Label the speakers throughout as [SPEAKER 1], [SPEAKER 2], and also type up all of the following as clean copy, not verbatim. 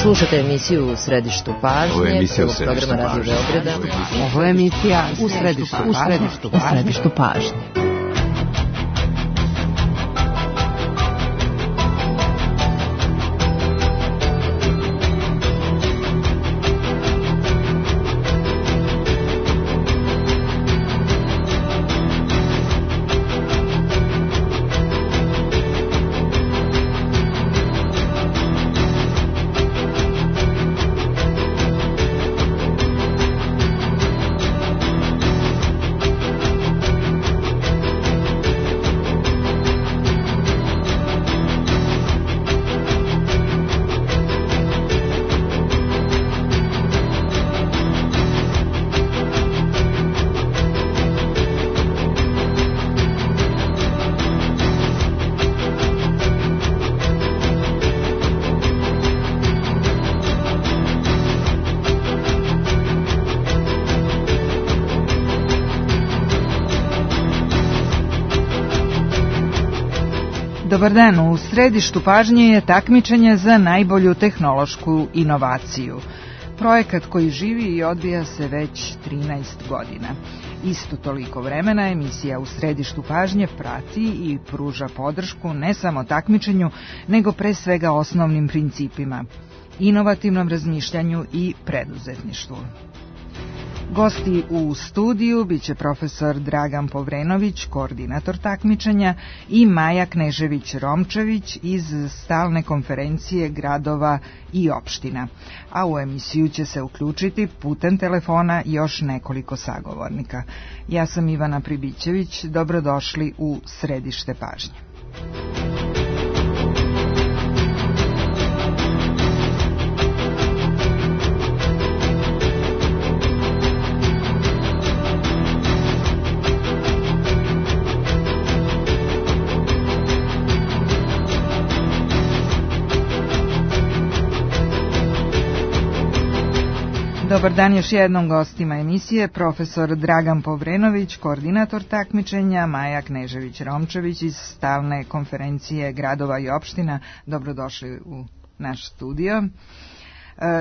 [SPEAKER 1] Slušate emisiju U središtu pažnje, prvog programa Radio Beograda.
[SPEAKER 2] Ovo je emisija U središtu pažnje. Dobar dan, u središtu pažnje je takmičenje za najbolju tehnološku inovaciju. Projekat koji živi i odvija se već 13 godina. Isto toliko vremena emisija U središtu pažnje prati i pruža podršku ne samo takmičenju, nego pre svega osnovnim principima, inovativnom razmišljanju i preduzetništvu. Gosti u studiju biće profesor Dragan Povrenović, koordinator takmičenja, i Maja Knežević-Romčević iz stalne konferencije gradova i opština. A u emisiju će se uključiti putem telefona još nekoliko sagovornika. Ja sam Ivana Pribićević, dobrodošli u središte pažnje. Dobar dan još jednom gostima emisije, profesor Dragan Povrenović, koordinator takmičenja, Maja Knežević-Romčević iz stalne konferencije gradova i opština. Dobrodošli u naš studio.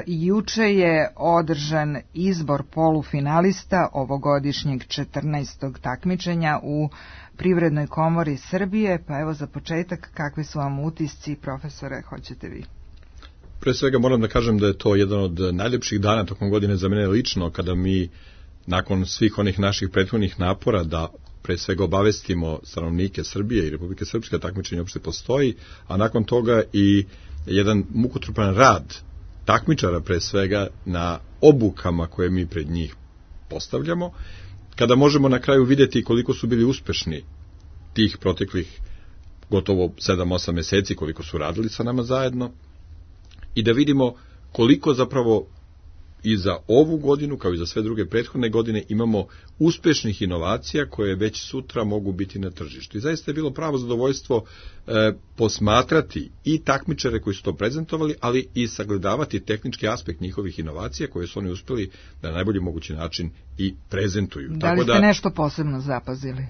[SPEAKER 2] Juče je održan izbor polufinalista ovogodišnjeg 14. takmičenja u Privrednoj komori Srbije, pa evo za početak, kakvi su vam utisci, profesore, hoćete vi?
[SPEAKER 3] Pre svega moram da kažem da je to jedan od najljepših dana tokom godine za mene lično, kada mi nakon svih onih naših prethodnih napora da pre svega obavestimo stanovnike Srbije i Republike Srpske takmičenje uopšte postoji, a nakon toga i jedan mukotrpan rad takmičara pre svega na obukama koje mi pred njih postavljamo, kada možemo na kraju vidjeti koliko su bili uspešni tih proteklih gotovo 7-8 meseci, koliko su radili sa nama zajedno, i da vidimo koliko zapravo i za ovu godinu, kao i za sve druge prethodne godine, imamo uspešnih inovacija koje već sutra mogu biti na tržištu. I zaista je bilo pravo zadovoljstvo posmatrati i takmičare koji su to prezentovali, ali i sagledavati tehnički aspekt njihovih inovacija koje su oni uspeli na najbolji mogući način i prezentuju.
[SPEAKER 2] Da li ste nešto posebno zapazili?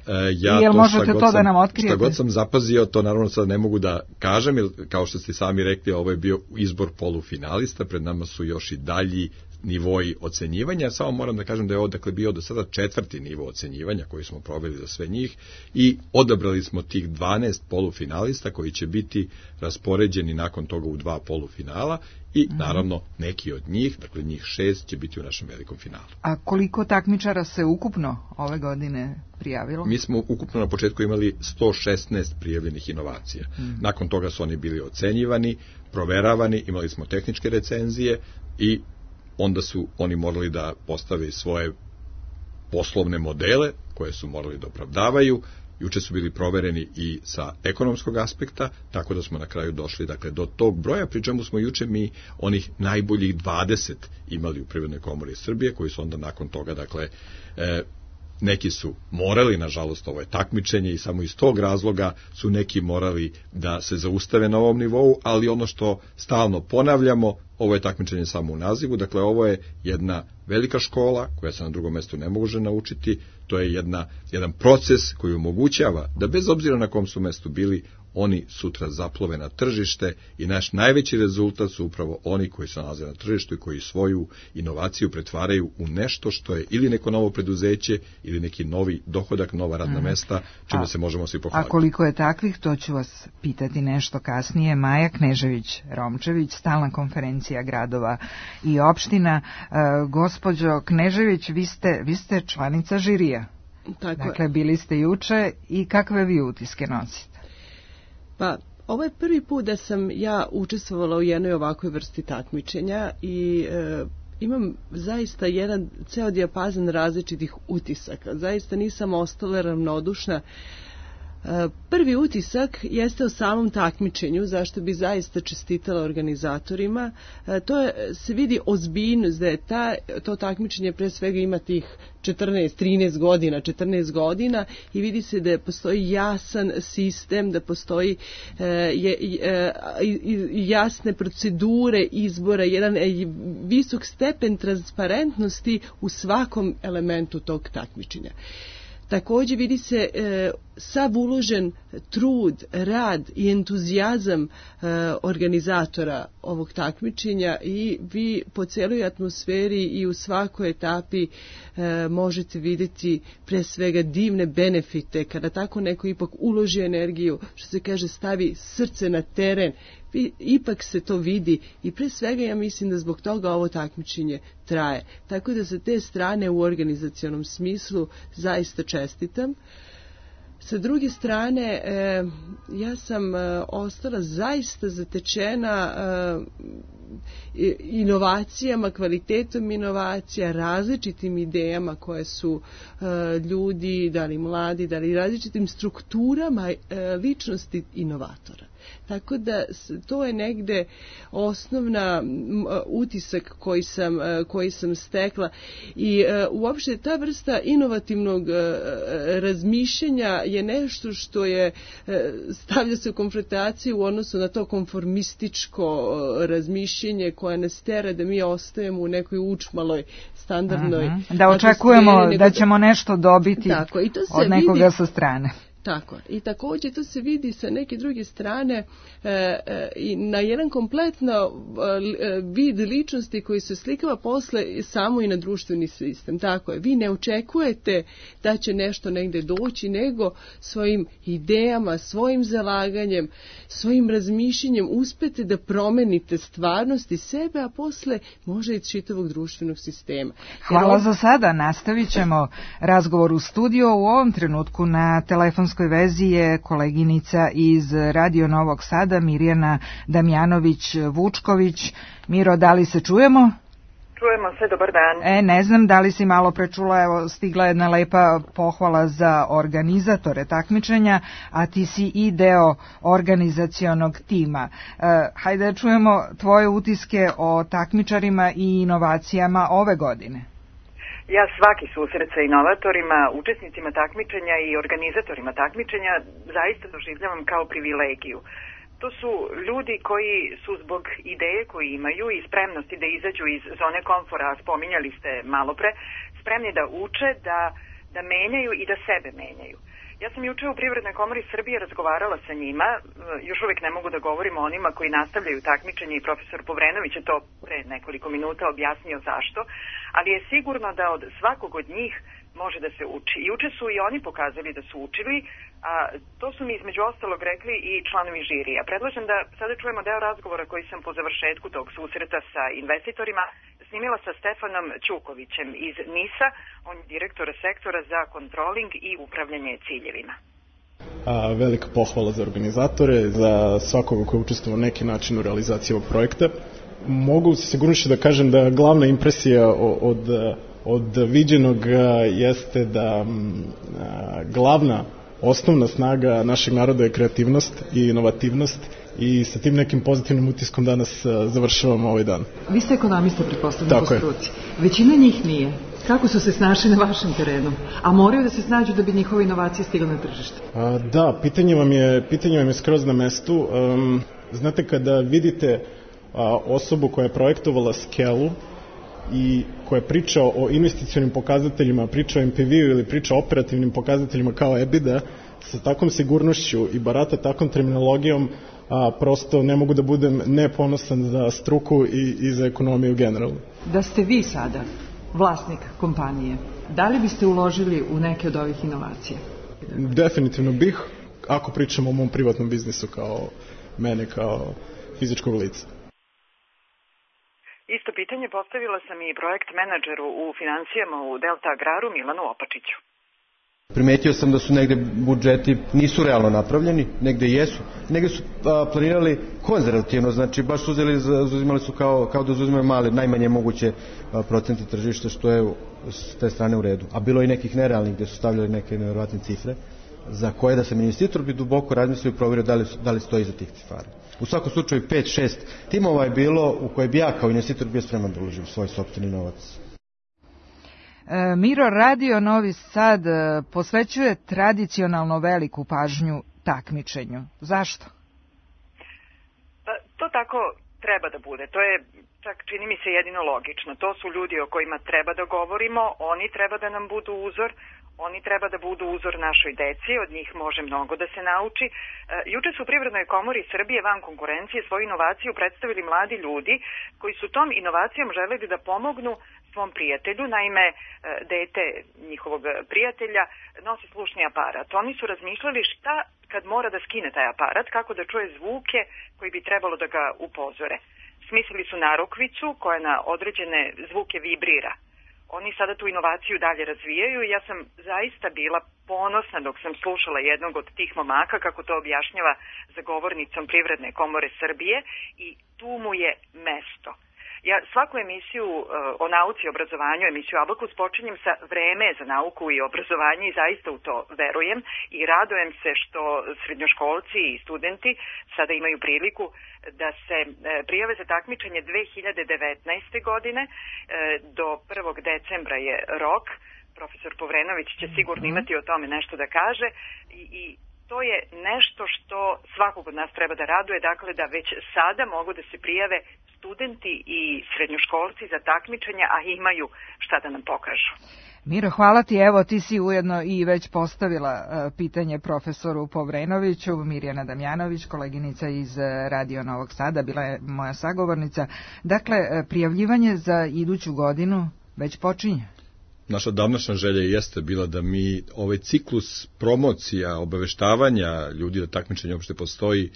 [SPEAKER 3] Jel
[SPEAKER 2] možete to da nam otkrijete?
[SPEAKER 3] Šta god sam zapazio, to naravno sad ne mogu da kažem, jer kao što ste sami rekli, ovo je bio izbor polufinalista, pred nama su još i dalji nivoji ocenjivanja. Samo moram da kažem da je ovo bio do sada 4. nivo ocenjivanja koji smo proveli za sve njih i odabrali smo tih 12 polufinalista koji će biti raspoređeni nakon toga u 2 polufinala i naravno neki od njih, dakle njih 6 će biti u našem velikom finalu.
[SPEAKER 2] A koliko takmičara se ukupno ove godine prijavilo?
[SPEAKER 3] Mi smo ukupno na početku imali 116 prijavljenih inovacija. Nakon toga su oni bili ocenjivani, proveravani, imali smo tehničke recenzije i onda su oni morali da postave svoje poslovne modele koje su morali da opravdavaju. Juče su bili provereni i sa ekonomskog aspekta, tako da smo na kraju došli do tog broja, pri čemu smo juče mi onih najboljih 20 imali u Privrednoj komori Srbije, koji su onda nakon toga, neki su morali, nažalost ovo je takmičenje i samo iz tog razloga su neki morali da se zaustave na ovom nivou, ali ono što stalno ponavljamo, ovo je takmičenje samo u nazivu, dakle ovo je jedna velika škola koja se na drugom mjestu ne može naučiti, to je jedan proces koji omogućava da bez obzira na kom su mjestu bili, oni sutra zaplove na tržište i naš najveći rezultat su upravo oni koji se nalaze na tržištu i koji svoju inovaciju pretvaraju u nešto što je ili neko novo preduzeće ili neki novi dohodak, nova radna mesta, čime se možemo svi pohvaliti.
[SPEAKER 2] A koliko je takvih, to ću vas pitati nešto kasnije. Maja Knežević-Romčević, stalna konferencija gradova i opština. Gospođo Knežević, vi ste članica žirija. Dakle, bili ste juče i kakve vi utiske nosite?
[SPEAKER 4] Pa, ovo je prvi put da sam ja učestvovala u jednoj ovakvoj vrsti takmičenja i imam zaista jedan ceo dijapazon različitih utisaka. Zaista nisam ostala ravnodušna. Prvi utisak jeste o samom takmičenju, zašto bi zaista čestitala organizatorima. Se vidi ozbiljnost da je to takmičenje pre svega ima tih 14 godina i vidi se da postoji jasan sistem, da postoji jasne procedure izbora, jedan visok stepen transparentnosti u svakom elementu tog takmičenja. Također vidi se sav uložen trud, rad i entuzijazam organizatora ovog takmičenja i vi po cijeloj atmosferi i u svakoj etapi možete vidjeti pre svega divne benefite kada tako neko ipak uloži energiju, što se kaže stavi srce na teren, ipak se to vidi i pre svega ja mislim da zbog toga ovo takmičenje traje. Tako da sa te strane u organizacionom smislu zaista čestitam. Sa druge strane, ja sam ostala zaista zatečena inovacijama, kvalitetom inovacija, različitim idejama koje su ljudi, da li mladi, da li različitim strukturama ličnosti inovatora. Tako da to je negde osnovna utisak koji sam stekla i uopšte ta vrsta inovativnog razmišljanja je nešto što je stavlja se u konfrontaciju u odnosu na to konformističko razmišljenje koje nas tera da mi ostajemo u nekoj učmaloj standardnoj
[SPEAKER 2] da očekujemo da ćemo nešto dobiti od nekoga sa strane.
[SPEAKER 4] Tako. I također to se vidi sa neke druge strane i na jedan kompletno vid ličnosti koji se slikava posle samo i na društveni sistem. Tako je. Vi ne očekujete da će nešto negde doći, nego svojim idejama, svojim zalaganjem, svojim razmišljenjem uspete da promenite stvarnost i sebe, a posle može i čitavog društvenog sistema.
[SPEAKER 2] Hvala za sada. Nastavit ćemo razgovor u studiju. U ovom trenutku na telefonskoj vezi je koleginica iz Radio Novog Sada, Mirjana Damjanović-Vučković. Miro, da li se čujemo?
[SPEAKER 5] Čujemo se, dobar dan.
[SPEAKER 2] Ne znam da li si malo prečula, evo stigla jedna lepa pohvala za organizatore takmičenja, a ti si i deo organizacionog tima. Hajde da čujemo tvoje utiske o takmičarima i inovacijama ove godine.
[SPEAKER 5] Ja svaki susret sa inovatorima, učesnicima takmičenja i organizatorima takmičenja zaista doživljavam kao privilegiju. To su ljudi koji su zbog ideje koju imaju i spremnosti da izađu iz zone komfora, spominjali ste malo pre, spremni da uče, da menjaju i da sebe menjaju. Ja sam juče u Privrednoj komori Srbije razgovarala sa njima, još uvijek ne mogu da govorim o onima koji nastavljaju takmičenje i profesor Povrenović je to pre nekoliko minuta objasnio zašto, ali je sigurno da od svakog od njih može da se uči. Juče su i oni pokazali da su učili, a to su mi između ostalog rekli i članovi žirija. Predlažem da sada čujemo deo razgovora koji sam po završetku tog susreta sa investitorima snimila sa Stefanom Ćukovićem iz NIS-a, on je direktor sektora za kontroling i upravljanje ciljevima.
[SPEAKER 6] Velika pohvala za organizatore, za svakoga koji učestvuje na neki način u realizaciji ovog projekta. Mogu se sigurno da kažem da glavna impresija od viđenog jeste da glavna osnovna snaga našeg naroda je kreativnost i inovativnost i sa tim nekim pozitivnim utiskom danas završavamo ovaj dan.
[SPEAKER 7] Vi ste ekonomista, pretpostavljam, po struci. Većina njih nije. Kako su se snašli na vašem terenu? A moraju da se snađu da bi njihove inovacije stigle na tržište?
[SPEAKER 6] Da, pitanje vam je skroz na mestu. Znate, kada vidite osobu koja je projektovala skelu i koja priča o investicionim pokazateljima, priča o MPV-u ili priča o operativnim pokazateljima kao EBITDA, sa takvom sigurnošću i barata takvom terminologijom, prosto ne mogu da budem neponosan za struku i za ekonomiju generalno.
[SPEAKER 7] Da ste vi sada vlasnik kompanije, da li biste uložili u neke od ovih inovacija?
[SPEAKER 6] Definitivno bih, ako pričamo o mom privatnom biznisu kao mene, kao fizičkog lica.
[SPEAKER 5] Isto pitanje postavila sam i projekt menadžeru u financijama u Delta Agraru Milanu Opačiću.
[SPEAKER 8] Primetio sam da su negde budžeti nisu realno napravljeni, negde jesu, negde su planirali konzervativno, znači baš uzimali su kao da uzimaju male, najmanje moguće procente tržišta, što je s te strane u redu. A bilo je i nekih nerealnih gde su stavljali neke nevjerovatne cifre, za koje da sam investitor bi duboko razmislio i provjerio da li stoji iza tih cifara. U svakom slučaju 5-6 timova je bilo u koje bi ja kao investitor bio spreman da uložim svoj sopstveni novac.
[SPEAKER 2] Miro, Radio Novi Sad posvećuje tradicionalno veliku pažnju takmičenju. Zašto?
[SPEAKER 5] To tako treba da bude. To je, čak čini mi se, jedino logično. To su ljudi o kojima treba da govorimo, oni treba da nam budu uzor, oni treba da budu uzor našoj deci, od njih može mnogo da se nauči. Juče su u Privrednoj komori Srbije van konkurencije svoju inovaciju predstavili mladi ljudi koji su tom inovacijom želeli da pomognu svom prijatelju. Naime, dete njihovog prijatelja nosi slušni aparat. Oni su razmišljali šta kad mora da skine taj aparat, kako da čuje zvuke koji bi trebalo da ga upozore. Smislili su narukvicu koja na određene zvuke vibrira. Oni sada tu inovaciju dalje razvijaju i ja sam zaista bila ponosna dok sam slušala jednog od tih momaka kako to objašnjava za govornicom Privredne komore Srbije i tu mu je mesto. Ja svaku emisiju o nauci i obrazovanju, emisiju Abakus, počinjem sa vreme za nauku i obrazovanje i zaista u to verujem i radujem se što srednjoškolci i studenti sada imaju priliku da se prijave za takmičenje 2019. godine. Do 1. decembra je rok. Profesor Povrenović će sigurno imati o tome nešto da kaže i to je nešto što svakog od nas treba da raduje, dakle da već sada mogu da se prijave studenti i srednjoškolci za takmičenja, a imaju šta da nam pokažu.
[SPEAKER 2] Miro, hvala ti. Evo, ti si ujedno i već postavila pitanje profesoru Povrenoviću. Mirjana Damjanović, koleginica iz Radio Novog Sada, bila je moja sagovornica. Dakle, prijavljivanje za iduću godinu već počinje.
[SPEAKER 3] Naša davnašnja želja jeste bila da mi ovaj ciklus promocija, obaveštavanja ljudi da takmičenje uopšte postoji,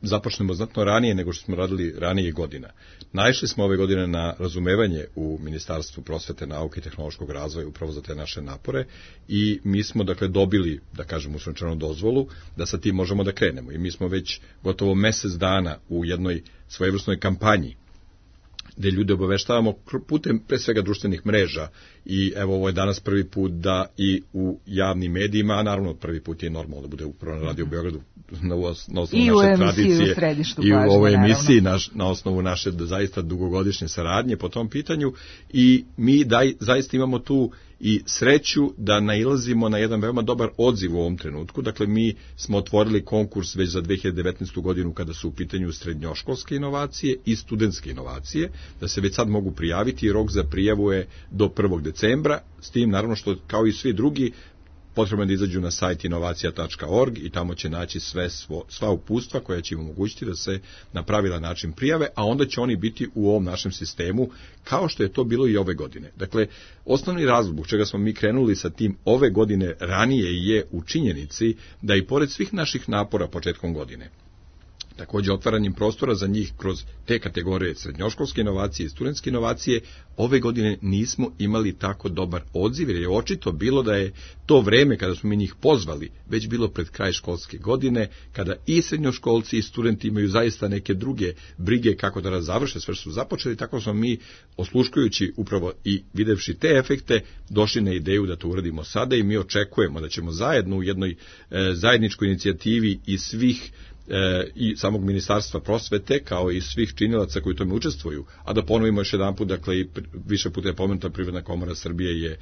[SPEAKER 3] započnemo znatno ranije nego što smo radili ranije godina. Naišli smo ove godine na razumevanje u Ministarstvu prosvete, nauke i tehnološkog razvoja upravo za te naše napore i mi smo dakle dobili, da kažem, uslovčenu dozvolu da sa tim možemo da krenemo. I mi smo već gotovo mesec dana u jednoj svojevrsnoj kampanji gde ljude obaveštavamo putem pre svega društvenih mreža i evo ovo je danas prvi put da i u javnim medijima, a naravno prvi put je normalno da bude upravo na Radio Beogradu na osnovu naše tradicije i u ovoj emisiji na osnovu naše zaista dugogodišnje saradnje po tom pitanju i mi zaista imamo tu i sreću da nailazimo na jedan veoma dobar odziv u ovom trenutku. Dakle, mi smo otvorili konkurs već za 2019. godinu kada su u pitanju srednjoškolske inovacije i studentske inovacije, da se već sad mogu prijaviti i rok za prijavu je do 1. decembra, s tim naravno što kao i svi drugi potrebno je da izađu na sajt inovacija.org i tamo će naći sva uputstva koja će im omogućiti da se na pravilan način prijave, a onda će oni biti u ovom našem sistemu kao što je to bilo i ove godine. Dakle, osnovni razlog zbog čega smo mi krenuli sa tim ove godine ranije je u činjenici da i pored svih naših napora početkom godine, također otvaranjem prostora za njih kroz te kategorije srednjoškolske inovacije i studentske inovacije, ove godine nismo imali tako dobar odziv, jer je očito bilo da je to vreme kada smo mi njih pozvali već bilo pred kraj školske godine, kada i srednjoškolci i studenti imaju zaista neke druge brige kako da završe sve što su započeli, tako smo mi, osluškujući upravo i videvši te efekte, došli na ideju da to uradimo sada i mi očekujemo da ćemo zajedno u jednoj zajedničkoj inicijativi i svih i samog Ministarstva prosvete, kao i svih činilaca koji u tome učestvuju, a da ponovimo još jedan put, dakle, i više puta je pomenuta Privredna komora Srbije je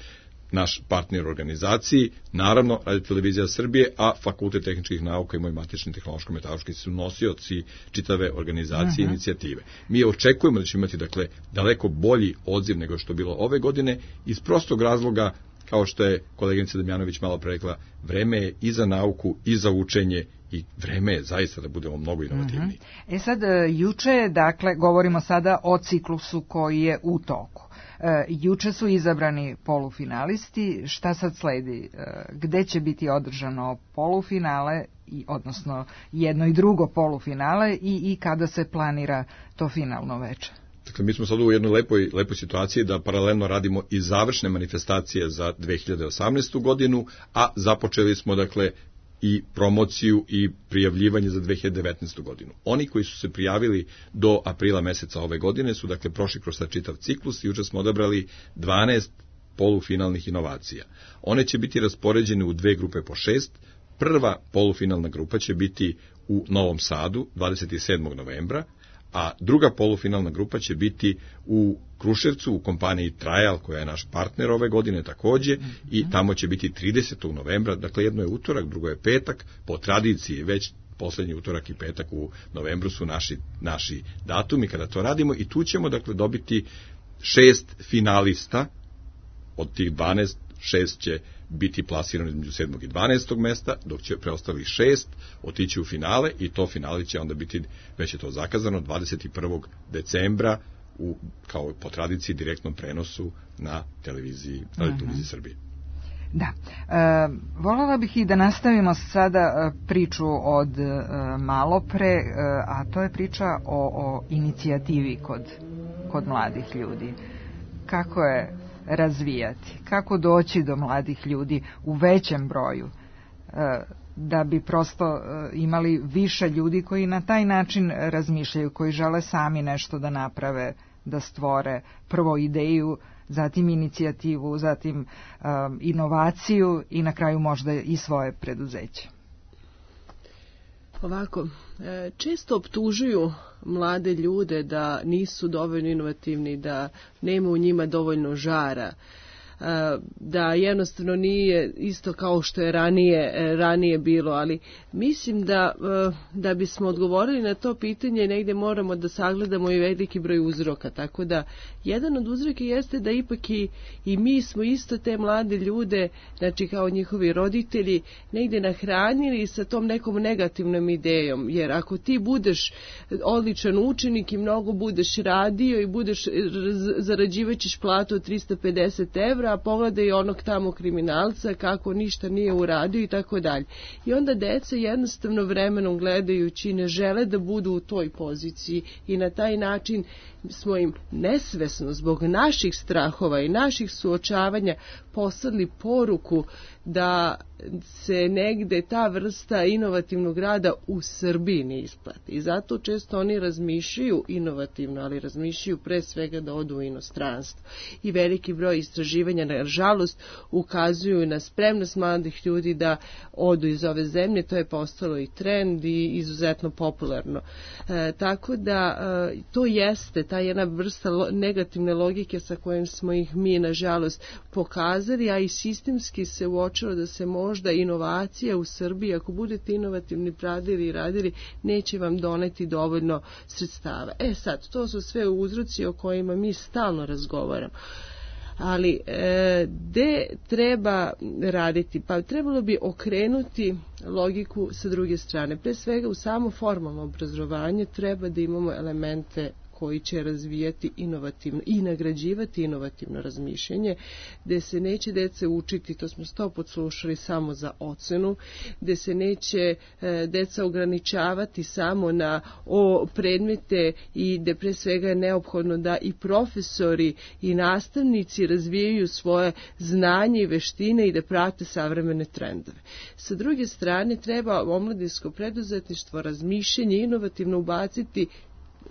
[SPEAKER 3] naš partner u organizaciji, naravno Radio Televizija Srbije, a Fakultet tehničkih nauka i moj matični tehnološko-metaloški su nosioci čitave organizacije i inicijative. Mi očekujemo da ćemo imati dakle daleko bolji odziv nego što je bilo ove godine iz prostog razloga, kao što je koleginica Damjanović malo pre rekla, vreme je i za nauku i za učenje i vreme je zaista da budemo mnogo inovativniji.
[SPEAKER 2] Sad, juče, dakle, govorimo sada o ciklusu koji je u toku. Juče su izabrani polufinalisti. Šta sad sledi? Gde će biti održano polufinale, odnosno jedno i drugo polufinale i kada se planira to finalno veče?
[SPEAKER 3] Dakle, mi smo sad u jednoj lepoj situaciji da paralelno radimo i završne manifestacije za 2018. godinu, a započeli smo, dakle, i promociju i prijavljivanje za 2019. godinu. Oni koji su se prijavili do aprila meseca ove godine su, dakle, prošli kroz čitav ciklus i juče smo odabrali 12 polufinalnih inovacija. One će biti raspoređene u 2 grupe po 6. Prva polufinalna grupa će biti u Novom Sadu 27. novembra, a druga polufinalna grupa će biti u Kruševcu u kompaniji Trial, koja je naš partner ove godine takođe, i tamo će biti 30. novembra, dakle jedno je utorak, drugo je petak, po tradiciji već poslednji utorak i petak u novembru su naši datumi kada to radimo i tu ćemo dakle dobiti 6 finalista, od tih 12, 6 će biti plasirano između 7. i 12. mesta, dok će preostali 6 otići u finale i to finale će onda biti, već je to zakazano, 21. decembra kao po tradiciji direktnom prenosu na televiziji Srbije.
[SPEAKER 2] Da. Voljela bih i da nastavimo sada priču od malo pre, a to je priča o inicijativi kod mladih ljudi. Kako je razvijati, kako doći do mladih ljudi u većem broju, da bi prosto imali više ljudi koji na taj način razmišljaju, koji žele sami nešto da naprave, da stvore prvo ideju, zatim inicijativu, zatim inovaciju i na kraju možda i svoje preduzeće.
[SPEAKER 4] Ovako, često optužuju mlade ljude da nisu dovoljno inovativni, da nema u njima dovoljno žara, da jednostavno nije isto kao što je ranije bilo, ali mislim da bismo odgovorili na to pitanje negdje moramo da sagledamo i veliki broj uzroka, tako da jedan od uzroka jeste da ipak i mi smo isto te mlade ljude, znači kao njihovi roditelji, negdje nahranili sa tom nekom negativnom idejom, jer ako ti budeš odličan učenik i mnogo budeš radio i zarađivaćeš platu od 350 evra, a pogledaj onog tamo kriminalca kako ništa nije uradio i tako dalje. I onda deca jednostavno vremenom gledajući ne žele da budu u toj poziciji i na taj način smo im nesvesno zbog naših strahova i naših suočavanja poslali poruku da se negde ta vrsta inovativnog rada u Srbiji ne isplati. I zato često oni razmišljaju inovativno, ali razmišljaju pre svega da odu u inostranstvo. I veliki broj istraživanja, nažalost, ukazuju na spremnost mladih ljudi da odu iz ove zemlje. To je postalo i trend i izuzetno popularno. Tako da to jeste ta jedna vrsta negativne logike sa kojom smo ih mi, nažalost, pokazali, a i sistemski se uočilo da se možda inovacija u Srbiji, ako budete inovativni radili, neće vam doneti dovoljno sredstava. Sad, to su sve uzroci o kojima mi stalno razgovaramo. Ali gde treba raditi? Pa trebalo bi okrenuti logiku sa druge strane. Pre svega u samo formalno obrazovanje treba da imamo elemente koji će razvijati inovativno i nagrađivati inovativno razmišljanje, gde se neće dece učiti, to smo 100 puta slušali, samo za ocenu, gde se neće deca ograničavati samo na predmete i gde pre svega je neophodno da i profesori i nastavnici razvijaju svoje znanje i veštine i da prate savremene trendove. Sa druge strane, treba omladinsko preduzetništvo, razmišljanje inovativno ubaciti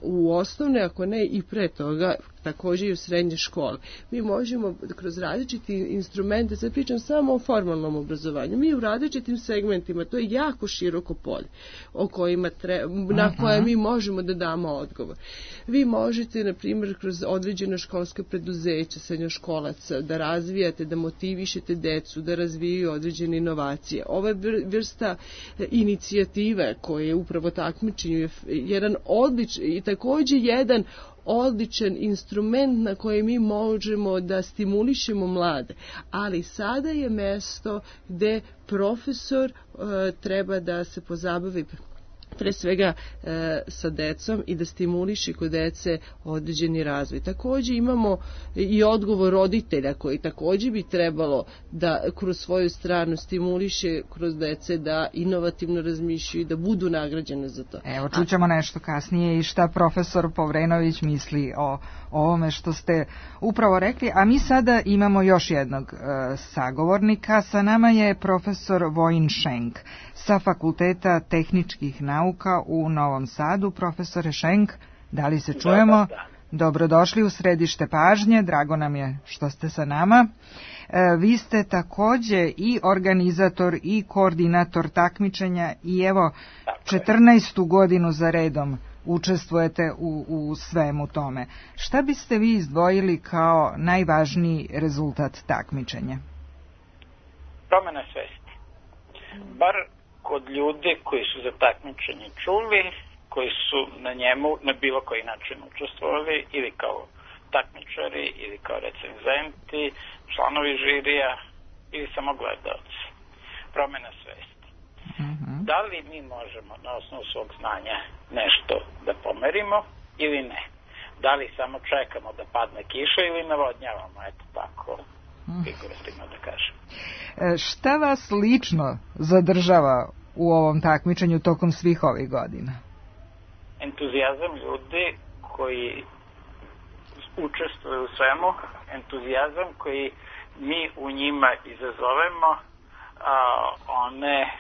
[SPEAKER 4] u osnovne, ako ne i pre toga, također i u srednje škole. Mi možemo kroz različiti instrumente, sad pričam samo o formalnom obrazovanju, mi u različitim segmentima, to je jako široko polje o kojima na koje mi možemo da damo odgovor. Vi možete, na primjer, kroz određena školska preduzeća srednjoškolaca da razvijate, da motivišete decu, da razvijaju određene inovacije. Ova vrsta inicijative koje je upravo takmičenju je jedan odličan i također jedan odličan instrument na koji mi možemo da stimulišemo mlade. Ali sada je mesto gde profesor treba da se pozabavi pre svega sa decom i da stimuliše kod dece određeni razvoj. Također imamo i odgovor roditelja koji također bi trebalo da kroz svoju stranu stimuliše kroz dece da inovativno razmišljaju i da budu nagrađene za to.
[SPEAKER 2] Evo, čućemo nešto kasnije i šta profesor Povrenović misli o ovome što ste upravo rekli, a mi sada imamo još jednog sagovornika. Sa nama je profesor Vojin Šenk sa Fakulteta tehničkih nauka u Novom Sadu. Profesore Šenk, da li se čujemo? Da. Dobrodošli u Središte pažnje, drago nam je što ste sa nama. Vi ste također i organizator i koordinator takmičenja i evo 14. godinu za redom učestvujete u svemu tome. Šta biste vi izdvojili kao najvažniji rezultat takmičenja?
[SPEAKER 9] Promjena svesti. Bar kod ljudi koji su za takmičenje čuli, koji su na njemu na bilo koji način učestvovali ili kao takmičari ili kao recenzenti, članovi žirija ili samo gledalci. Promjena svesti. Da li mi možemo na osnovu svog znanja nešto da pomerimo ili ne? Da li samo čekamo da padne kiša ili navodnjavamo, eto tako, figurativno da kažem.
[SPEAKER 2] Šta vas lično zadržava u ovom takmičenju tokom svih ovih godina?
[SPEAKER 9] Entuzijazam ljudi koji učestvuju u svemu, entuzijazam koji mi u njima izazovemo, one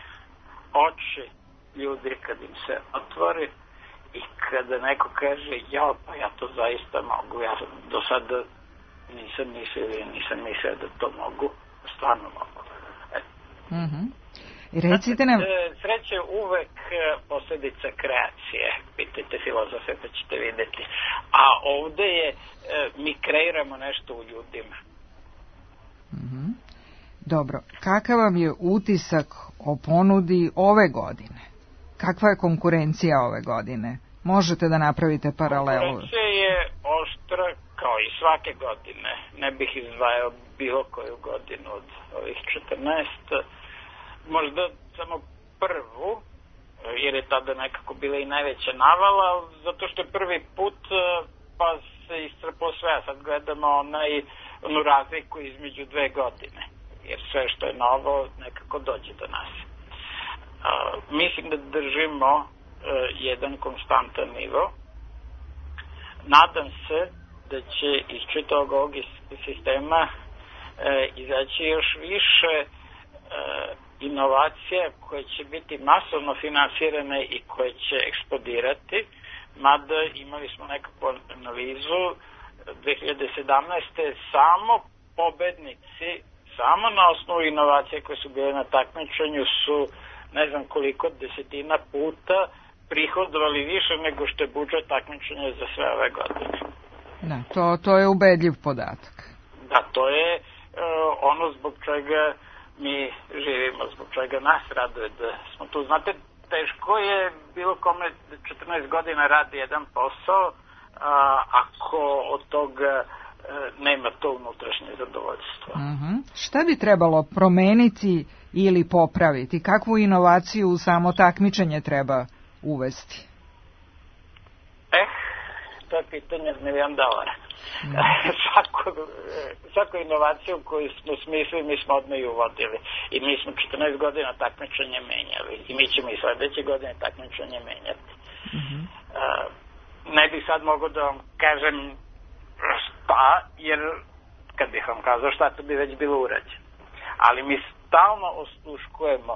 [SPEAKER 9] oči ljudi kad im se otvori i kada neko kaže pa ja to zaista mogu, ja do sada nisam mislio da to mogu, stvarno mogu.
[SPEAKER 2] Recite nam...
[SPEAKER 9] Sreća je uvek posljedica kreacije, pitajte filozofe pa ćete vidjeti. A ovdje je, mi kreiramo nešto u ljudima.
[SPEAKER 2] Dobro, kakav vam je utisak o ponudi ove godine? Kakva je konkurencija ove godine? Možete da napravite paralelu?
[SPEAKER 9] Konkurencija je oštra kao i svake godine. Ne bih izdvajao bilo koju godinu od ovih 14. Možda samo prvu, jer je tada nekako bila i najveća navala, zato što je prvi put pa se istrpao sve, a sad gledamo onu razliku između 2 godine, jer sve što je novo nekako dođe do nas. Mislim da držimo jedan konstantan nivo. Nadam se da će iz čitavog ovog sistema izaći još više inovacija koje će biti masovno finansirane i koje će eksplodirati, mada imali smo nekakvu analizu 2017. samo pobednici, samo na osnovu inovacije koje su bile na takmičenju su ne znam koliko desetina puta prihodovali više nego što je budžet takmičenja za sve ove godine.
[SPEAKER 2] Da, to je ubedljiv podatak.
[SPEAKER 9] Da, to je ono zbog čega mi živimo, zbog čega nas raduje da smo tu. Znate, teško je bilo kome 14 godina radi jedan posao ako od toga nema to unutrašnje zadovoljstvo.
[SPEAKER 2] Šta bi trebalo promeniti ili popraviti? Kakvu inovaciju u samo takmičenje treba uvesti?
[SPEAKER 9] To je pitanje od $1 milion. Svaku inovaciju koju smo smislili mi smo odmah i uvodili i mi smo 14 godina takmičenje menjali i mi ćemo i sledeće godine takmičenje menjati. Ne bih sad mogao da vam kažem šta, jer kad bih vam kazao šta, to bi već bilo urađeno. Ali mi stalno osluškujemo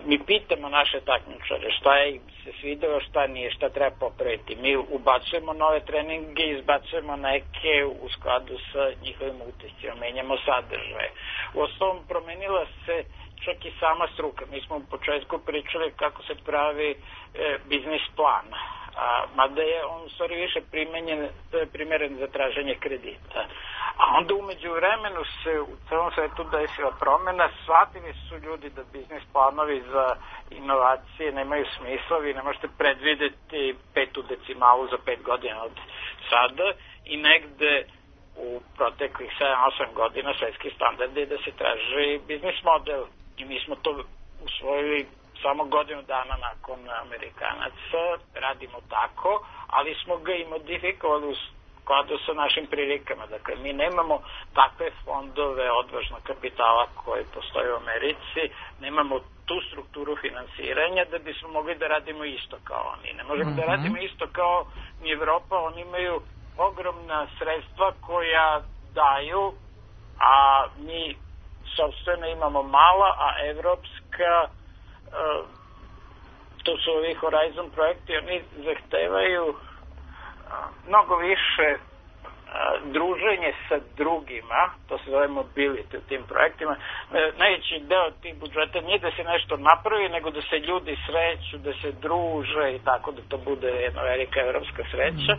[SPEAKER 9] mi pitamo naše takmičare šta je im se svidelo, šta nije, šta treba popraviti. Mi ubacujemo nove treninge, izbacujemo neke u skladu sa njihovim utiscima, menjamo sadržaje. U osnovom promenila se čak i sama struka. Mi smo u početku pričali kako se pravi biznis plan, mada je on u stvari više primjeren za traženje kredita. A onda umeđu vremenu se u celom svetu desila promena, shvatili su ljudi da biznis planovi za inovacije nemaju smisla, vi ne možete predvideti 5. decimalu za 5 godina od sada i negde u proteklih 7-8 godina svetski standard je da se traži biznis model i mi smo to usvojili samo godinu dana nakon Amerikanaca, radimo tako, ali smo ga i modifikovali u skladu sa našim prilikama. Dakle, mi nemamo takve fondove odvažnog kapitala koje postoje u Americi, nemamo tu strukturu finansiranja da bismo mogli da radimo isto kao oni. Ne možemo da radimo isto kao ni Evropa, oni imaju ogromna sredstva koja daju, a mi sopstveno imamo mala, a evropska, to su ovi Horizon projekti, oni zahtevaju mnogo više druženje sa drugima, to se zove mobility u tim projektima. Najveći deo tih budžeta nije da se nešto napravi, nego da se ljudi sreću, da se druže i tako da to bude jedna velika evropska sreća.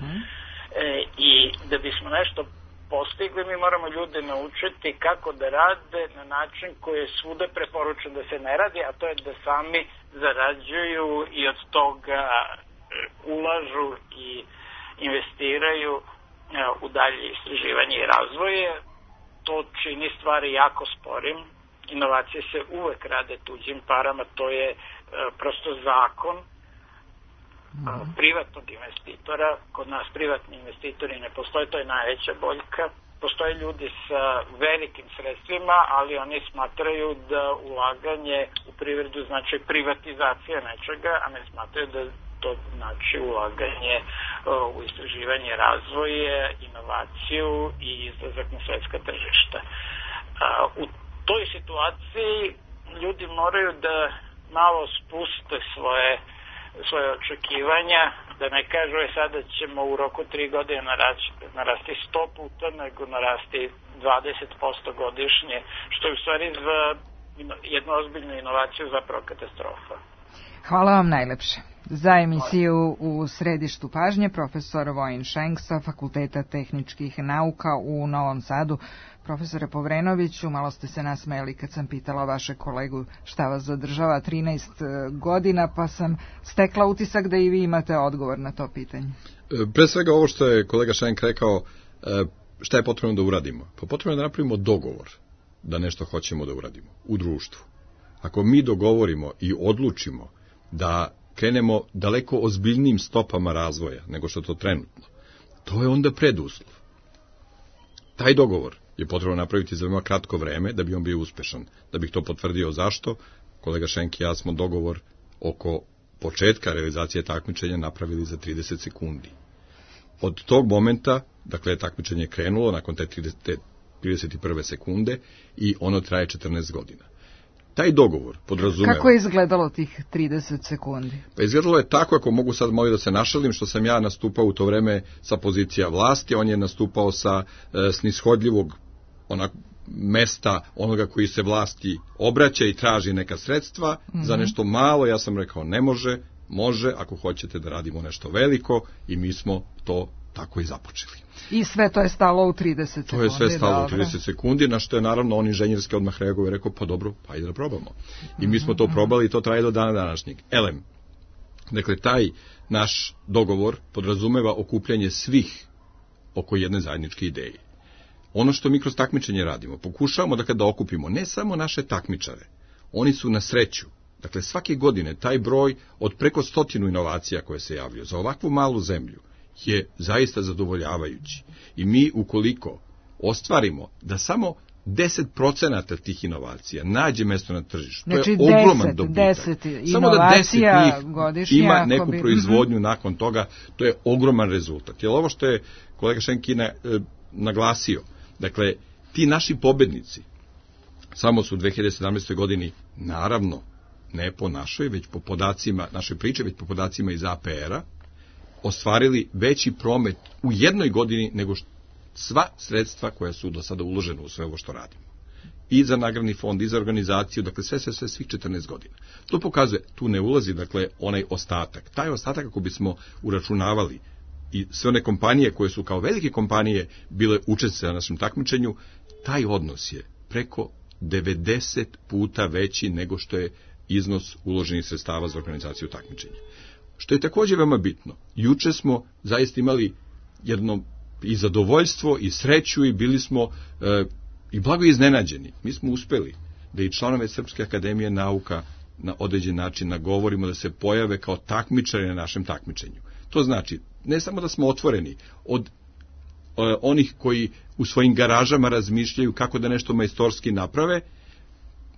[SPEAKER 9] I da bismo nešto postigli, mi moramo ljude naučiti kako da rade na način koji je svuda preporučen da se ne radi, a to je da sami zarađuju i od toga ulažu i investiraju u dalje istraživanje i razvoje. To čini stvari jako sporim. Inovacije se uvek rade tuđim parama, to je prosto zakon privatnog investitora. Kod nas privatni investitori ne postoje, to je najveća boljka. Postoje ljudi sa velikim sredstvima, ali oni smatraju da ulaganje u privredu znači privatizacija nečega, a ne smatraju da to znači ulaganje u istraživanje, razvoje, inovaciju i izlazak na svetska tržišta. U toj situaciji ljudi moraju da malo spuste svoje očekivanja, da ne kažu sada ćemo u roku 3 godine narasti 100 puta, nego narasti 20% godišnje, što je u stvari za jednu ozbiljnu inovaciju zapravo katastrofa.
[SPEAKER 2] Hvala vam najlepše. Za emisiju u središtu pažnje profesor Vojin Šenk sa Fakulteta tehničkih nauka u Novom Sadu. Profesore Povrenoviću, malo ste se nasmejali kad sam pitala vaše kolegu šta vas zadržava 13 godina, pa sam stekla utisak da i vi imate odgovor na to pitanje.
[SPEAKER 3] Pre svega ovo što je kolega Šenk rekao, šta je potrebno da uradimo? Pa potrebno je da napravimo dogovor da nešto hoćemo da uradimo u društvu. Ako mi dogovorimo i odlučimo da krenemo daleko ozbiljnim stopama razvoja nego što to trenutno, to je onda preduslov. Taj dogovor je potrebno napraviti za veoma kratko vreme da bi on bio uspešan. Da bih to potvrdio zašto, kolega Šenk i ja smo dogovor oko početka realizacije takmičenja napravili za 30 sekundi. Od tog momenta, dakle, takmičenje je krenulo nakon te 31. sekunde i ono traje 14 godina. Taj dogovor podrazumeva...
[SPEAKER 2] Kako je izgledalo tih 30 sekundi?
[SPEAKER 3] Pa izgledalo je tako, ako mogu sad malo da se našalim, što sam ja nastupao u to vreme sa pozicija vlasti, on je nastupao sa snishodljivog mesta onoga koji se vlasti obraća i traži neka sredstva za nešto malo. Ja sam rekao ne može, ako hoćete da radimo nešto veliko, i mi smo to tako i započeli.
[SPEAKER 2] I sve to je stalo u 30 sekundi.
[SPEAKER 3] To je sve stalo u 30 sekundi, na što je naravno on inženjerski odmah reagovao i rekao, pa dobro, pa ajde da probamo. I mi smo to probali i to traje do dana današnjeg. Dakle, taj naš dogovor podrazumeva okupljanje svih oko jedne zajedničke ideje. Ono što mi kroz takmičenje radimo, pokušavamo da kada okupimo ne samo naše takmičare, oni su na sreću. Dakle, svake godine taj broj od preko 100 inovacija koje se javljaju za ovakvu malu zemlju je zaista zadovoljavajući. I mi, ukoliko ostvarimo da samo 10% tih inovacija nađe mesto na tržištu,
[SPEAKER 2] znači,
[SPEAKER 3] to je ogroman dobitak.
[SPEAKER 2] Samo da 10
[SPEAKER 3] njih ima neku proizvodnju nakon toga, to je ogroman rezultat. Jer ovo što je kolega Šenkina naglasio, dakle, ti naši pobednici samo su u 2017. godini naravno ne po našoj, već po podacima, našoj priče, već po podacima iz APR-a, ostvarili veći promet u jednoj godini nego sva sredstva koja su do sada uložena u sve ovo što radimo. I za nagradni fond, i za organizaciju, dakle sve svih 14 godina. To pokazuje, tu ne ulazi, dakle, onaj ostatak. Taj ostatak, ako bismo uračunavali i sve one kompanije koje su kao velike kompanije bile učesnice na našem takmičenju, taj odnos je preko 90 puta veći nego što je iznos uloženih sredstava za organizaciju takmičenja. Što je također veoma bitno, juče smo zaista imali jedno i zadovoljstvo i sreću i bili smo i blago iznenađeni. Mi smo uspeli da i članove Srpske akademije nauka na određen način nagovorimo da se pojave kao takmičari na našem takmičenju. To znači, ne samo da smo otvoreni od onih koji u svojim garažama razmišljaju kako da nešto majstorski naprave,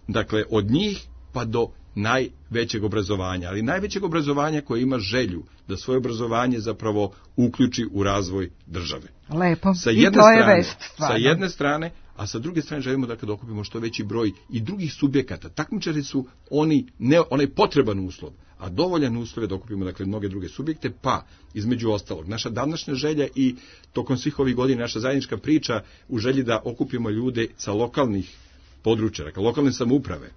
[SPEAKER 3] dakle od njih pa do najvećeg obrazovanja, ali najvećeg obrazovanja koje ima želju da svoje obrazovanje zapravo uključi u razvoj države.
[SPEAKER 2] Lepo, i to je vest stvarno.
[SPEAKER 3] Sa jedne strane, a sa druge strane želimo da kada okupimo što veći broj i drugih subjekata. Takmičari su onaj potreban uslov, a dovoljan uslov je da okupimo dakle mnoge druge subjekte, pa između ostalog naša današnja želja i tokom svih ovih godina naša zajednička priča u želji da okupimo ljude sa lokalnih područja, dakle lokalne samouprave,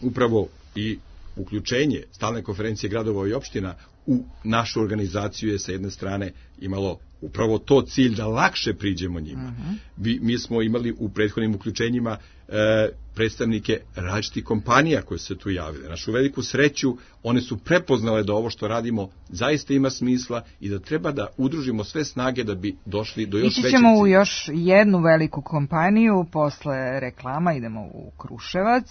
[SPEAKER 3] upravo i uključenje stalne konferencije gradova i opština u našu organizaciju je sa jedne strane imalo upravo to cilj da lakše priđemo njima. Mi smo imali u prethodnim uključenjima predstavnike različitih kompanija koje se tu javile. Našu veliku sreću, one su prepoznale da ovo što radimo zaista ima smisla i da treba da udružimo sve snage da bi došli do još većeg cilja.
[SPEAKER 2] Ići ćemo u još jednu veliku kompaniju, posle reklama idemo u Kruševac.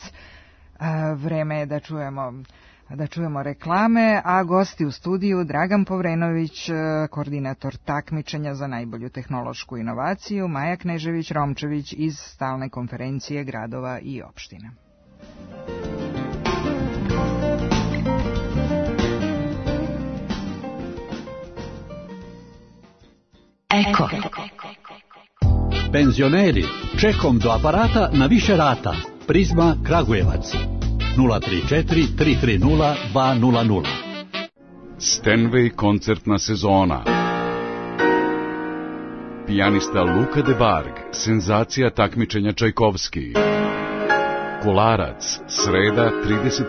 [SPEAKER 2] Vreme je da čujemo reklame, a gosti u studiju Dragan Povrenović, koordinator takmičenja za najbolju tehnološku inovaciju, Maja Knežević-Romčević iz stalne konferencije gradova i opština.
[SPEAKER 10] Eko. Penzioneri, čekom do aparata na više rata. Prizma Kragujevac 034 330 200.
[SPEAKER 11] Stenway koncertna sezona. Pijanista Luka de Barg, senzacija takmičenja Čajkovski. Kolarac, sreda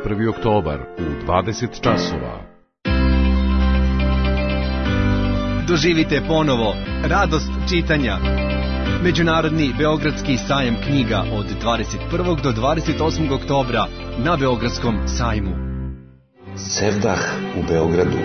[SPEAKER 11] 31. oktobar u 20 časova.
[SPEAKER 12] Doživite ponovo radost čitanja. Međunarodni Beogradski sajam knjiga od 21. do 28. oktobra na Beogradskom sajmu.
[SPEAKER 13] Sevdah u Beogradu.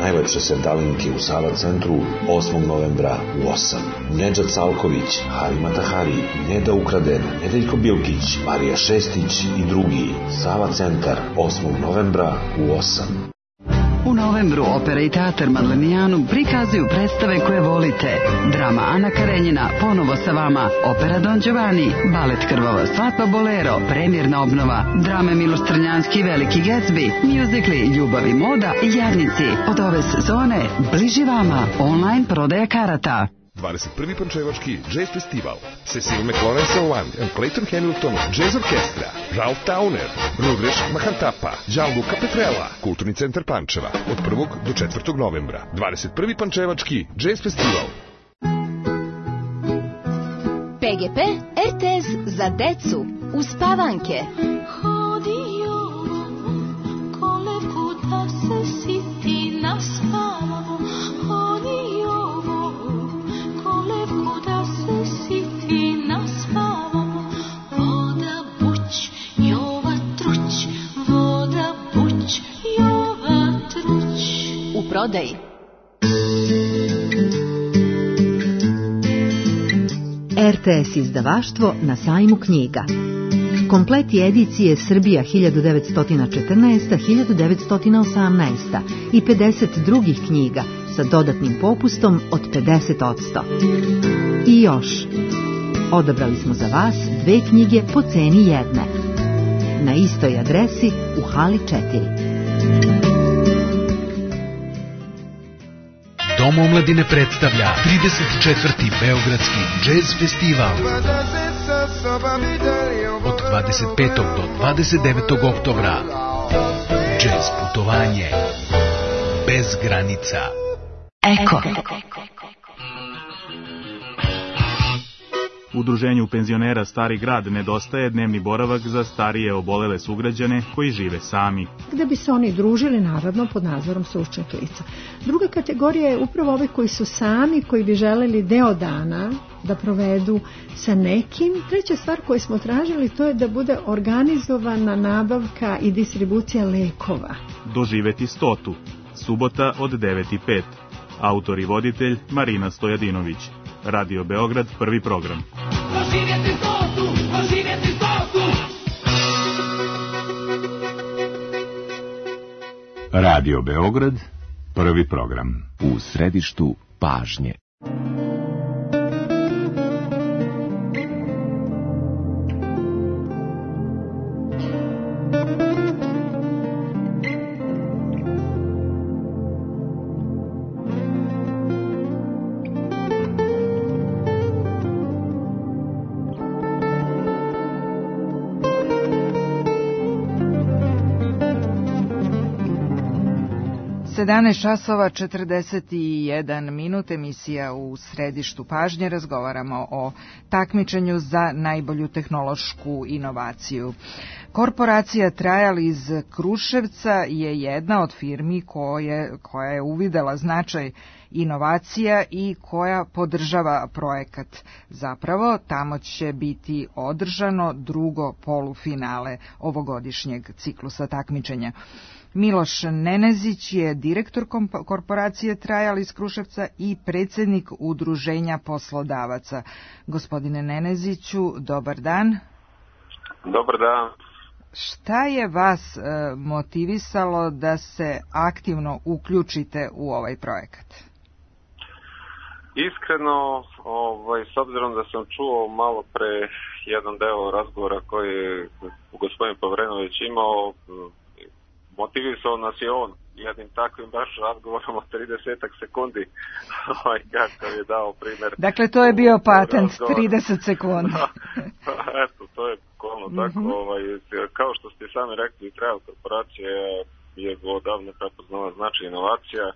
[SPEAKER 13] Najlepše sevdalinke u Sava centru 8. novembra u 8. Nedžad Salković, Harima Tahari, Neda Ukraden, Nedeljko Bilkić, Marija Šestić i drugi. Sava centar 8. novembra u 8.
[SPEAKER 14] U novembru Opera i teatar Madlenijanu prikazuju predstave koje volite. Drama Ana Karenjina, ponovo sa vama. Opera Don Giovanni, balet Krvava svadba Bolero, premjerna obnova. Drame Miloš Crnjanski i Veliki Gatsby, mjuzikli Ljubav i moda i Jarnici. Od ove sezone bliži vama online prodaja karata.
[SPEAKER 15] 21. Pančevački Jazz Festival. Cecil McLaurin Salwand and Clayton Hamilton Jazz Orkestra. Ralph Towner, Rudreš Mahantapa, Gianluca Petrella. Kulturni centar Pančeva. Od 1. do 4. novembra. 21. Pančevački Jazz Festival.
[SPEAKER 16] PGP RTS za decu. Uspavanke.
[SPEAKER 17] Hodio kolevku da se siti na spavu. Hodio kolevku da se siti na spavu. Voda buć, Jova truć. Voda buć, Jova truć.
[SPEAKER 16] U prodaji.
[SPEAKER 18] RTS izdavaštvo na sajmu knjiga. Kompleti edicije Srbija 1914-1918 i 50 drugih knjiga sa dodatnim popustom od 50%. I još, odabrali smo za vas 2 knjige po ceni jedne. Na istoj adresi u hali 4.
[SPEAKER 19] Dom omladine predstavlja 34. Beogradski Jazz Festival. Od 25. do 29. oktobra Jazz putovanje bez granica.
[SPEAKER 14] Eko.
[SPEAKER 20] Udruženju penzionera Stari grad nedostaje dnevni boravak za starije obolele sugrađane koji žive sami.
[SPEAKER 21] Gde bi se oni družili, naravno, pod nadzorom stručnih lica. Druga kategorija je upravo ove koji su sami, koji bi želeli deo dana da provedu sa nekim. Treća stvar koju smo tražili, to je da bude organizovana nabavka i distribucija lekova.
[SPEAKER 20] Doživeti 100. Subota od 9:05. Autor i voditelj Marina Stojadinović. Radio Beograd, prvi program.
[SPEAKER 22] Radio Beograd, prvi program. U središtu pažnje.
[SPEAKER 2] časova 41 minut, emisija u središtu pažnje. Razgovaramo o takmičenju za najbolju tehnološku inovaciju. Korporacija Trial iz Kruševca je jedna od firmi koja je uvidela značaj inovacija i koja podržava projekat. Zapravo, tamo će biti održano drugo polufinale ovogodišnjeg ciklusa takmičenja. Miloš Nenezić je direktor korporacije Trial iz Kruševca i predsjednik udruženja poslodavaca. Gospodine Neneziću, dobar dan.
[SPEAKER 23] Dobar dan.
[SPEAKER 2] Šta je vas motivisalo da se aktivno uključite u ovaj projekat?
[SPEAKER 23] Iskreno, s obzirom da sam čuo malo pre jedan deo razgovora koji je gospodin Povrenović imao, motivisao nas je on jednim takvim baš razgovorom od 30 sekundi kako je dao primjer.
[SPEAKER 2] Dakle, to je bio patent, 30 sekundi.
[SPEAKER 23] Eto, to je kolno tako. Kao što ste sami rekli, Trial korporacija je odavno prepoznala značaj inovacija.